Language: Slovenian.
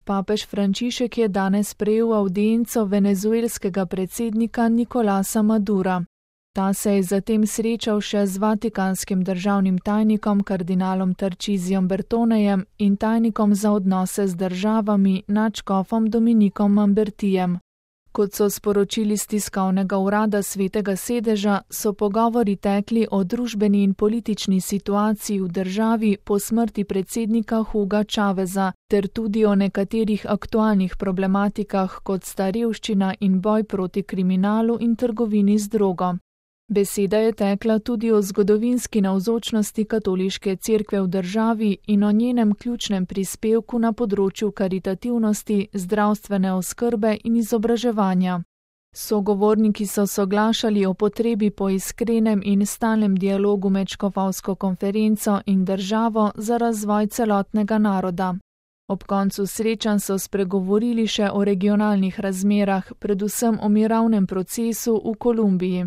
Papež Frančišek je danes sprejel avdienco venezuelskega predsednika Nicolasa Madura. Ta se je zatem srečal še z vatikanskim državnim tajnikom kardinalom Tarcisijem Bertonejem in tajnikom za odnose z državami nadškofom Dominikom Mambertijem. Kot so sporočili z tiskovnega urada Svetega sedeža, so pogovori tekli o družbeni in politični situaciji v državi po smrti predsednika Huga Chaveza ter tudi o nekaterih aktualnih problematikah, kot sta revščina in boj proti kriminalu in trgovini z drogo. Beseda je tekla tudi o zgodovinski navzočnosti katoliške cerkve v državi in o njenem ključnem prispevku na področju karitativnosti, zdravstvene oskrbe in izobraževanja. Sogovorniki so soglašali o potrebi po iskrenem in stalnem dialogu med škofovsko konferenco in državo za razvoj celotnega naroda. Ob koncu srečanj so spregovorili še o regionalnih razmerah, predvsem o mirovnem procesu v Kolumbiji.